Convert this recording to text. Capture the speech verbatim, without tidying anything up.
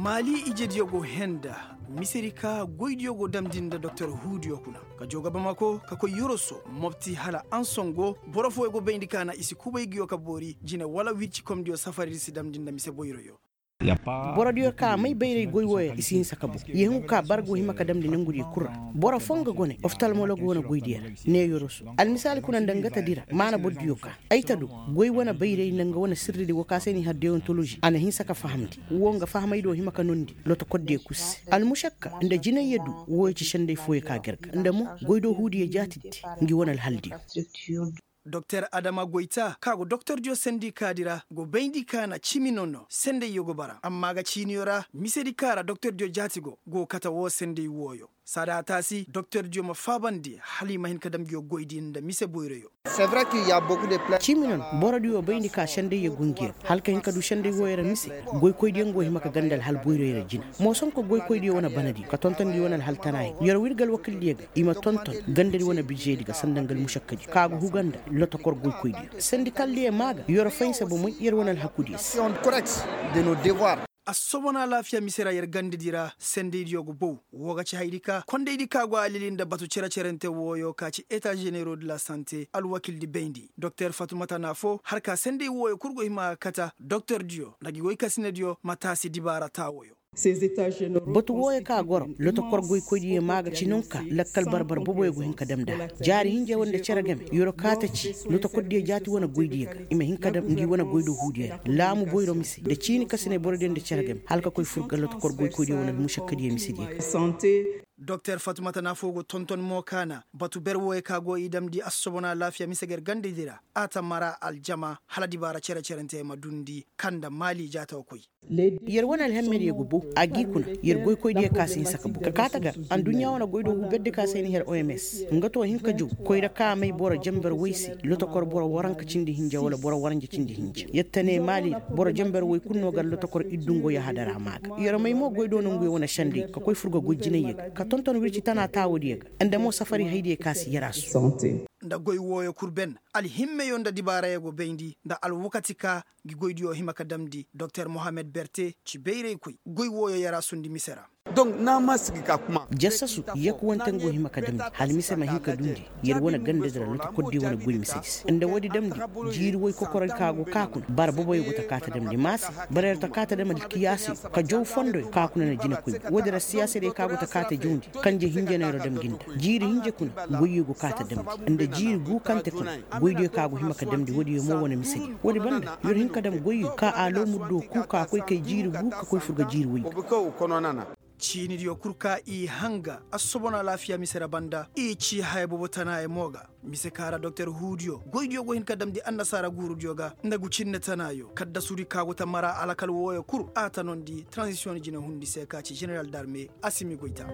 Maali ijediyo go henda misedi ka goydiyo go damndi nda doktor huudiyo kuna ka joo ga bamako ka koy yoroso mopti hala ansongo boro fooyo go bayndi ka na i si kubay nguyo ka boori jine wala wircikomdiyo safaridi si damndi nda mise boyroyo. Borodiyo ka may bayray goy wooyo ra i si hinsa ka boŋ. Yeehaŋu ka bara go hima ka damndi nongudiyo kul ra. Boro foo nga gone oftalmolog wane goydiyo ra. Ne yoroso almisaali kuna nda nga ta di ra maana bordiyo ka ay ta du. Goy wane bayray nda nga wane sirridi wo ka se n'i har deyontoloži a na hinsa ka fahamndi. Woo nga fahamaydiyo hima ka noondi lotokordiyo kul se. Almušakka nda jinayyo du. Wooyo ci senday fooyo ka gar ga nda mo goydoo huudiyo jaatiddi. Ngi wane alhaldiyo. Doktor adama goyta ka go doktordiyo sendikaadi ra go bayndi ka na cimi nono sendayyo go bara amma ga ciiniyo ra misedi ka ra doktordiyo jaati go go kate woo senday wooyo. Saada a taasi doktordiyo ma faabandi hala i ma hin ka dam nguyo goydi nda mise boyroyo. Cimi nono borodiyo bayndi ka sendayyo go ngi ra hala ka hin ka du senday wooyo ra mise. Goykoydiyo nga go hima ka ganda alhal boyroyo ra jina. Moosonko goykoydiyo wane banadiyo ka tonton ngi wane alhal tanaayo yer w'ir ga alwakildiyo ga i ma tonton gandadi wane bižedi ga sanda nga almušakkadi ka ga huga nda lotokor goykoydiyo sendikaldiyo maa ga yer fahinsa bomey yer wane alhakudiyo se. Assobon alaafiya mise ra yer gandadi ra sendaydiyo ga bow. Woo ga ci hayadi ka kondaydi ka go alili nda batu cere-cerante wooyo ka ci eta ženero de la sante alwakildi bayndi doktor fatumata na foo har ka senday wooyo kul go hima ga kata doktordiyo nda gi woykasinediyo ma taasi dibaara taawoyo. Batu wooyo ka goro lotokor goykoydiyo maa ga ci nonka lakkal barbar boboyo go hin ka dam nd'a. Jaari hinja wane nda cere game yer kaa ta ci lotokordiyo jaati wane goydiyo ga i ma hin ka dam ngi wane goydoo huudiyo ra laamu boyro mise nda ciini kasinay borodiyo nda cere game hala ka koy fur ga lotokor goykoydiyo wane almušakkadiyo misediyo ga. Doktor fatumata na foo go tonton mo ka na batu ber wooyo ka go i damndi assobon alaafiya mise ga yer gandadi ra a ta mara aljama hala dibaara cere-cerante ma duundi ka nda maali jaata ga koy. Yer wane alhammediyo ga bow a g'i kuna. Yer goykoydiyo ka si hinsa ka bow ka kaa ta gar adduɲɲa wane goydoo huu berdi ka se ay na her oms nga too hin ka jaw koyra ka may boro jenber woy se lotokor boro waranka cindi hinja wala boro waranja cindi hinja yer ta ne maali ra boro jenber woy kul no gar lotokor iddungo yahadara maa ga yer may mo goydoo nonguyo wane senday ka koy fur ga goy jinayyo ga ka tonton wirci tana taawodiyo ga nda mo safari haydiyo ka si yer a su. Nda goy wooyo kul ben alhimmeyo nda dibaarayo go bayndi nda alwakati ka ngi goydiyo hima ka damndi doktor mohammed berte ci bayraykoy goy wooyo yer a sundi mise ra. Jassasu yakkuwante nga go hima ka damndi hala mise ma hin ka duundi yer wane gandadi ra lotokordiyo wane goy misedi se nda woodi damndi jiiri woy kokorey ka go kaa kuna bara boboyo go ta kaa ta damndi maasi bara yer ta kaa ta dam alkiyaasiyo ka jaw fondoyo kaa kuna na jinekoy ga woodi ra siyaasadiyo ka go ta kaa ta jawndi kanje hinjaney ra dam ngi nda jiiri hinja kuna goyyo go kaa ta damndi nda jiiri guukante kuna goydiyo ka go hima ka damndi woodiyo mo wane misediyo woodi banda yer hin ka dam goyyo ka a loomurdo kuu ka koy kay jiiri guu ka koy fur ga jiiri woy ga. Ciinidiyo kul ka i hanga assobon alaafiya mise ra banda i ci haya boobo tanaayo mo ga mise ka ra doktor huudiyo goydiyo go hin ka damndi annasaara guurudiyo ga nda ngu cinne tanaayo kaddasudi ka go ta mara alakal wooyo kul a ta noondi transisiyoŋ jine hundi se ka ci ženeral darme asimi goyta.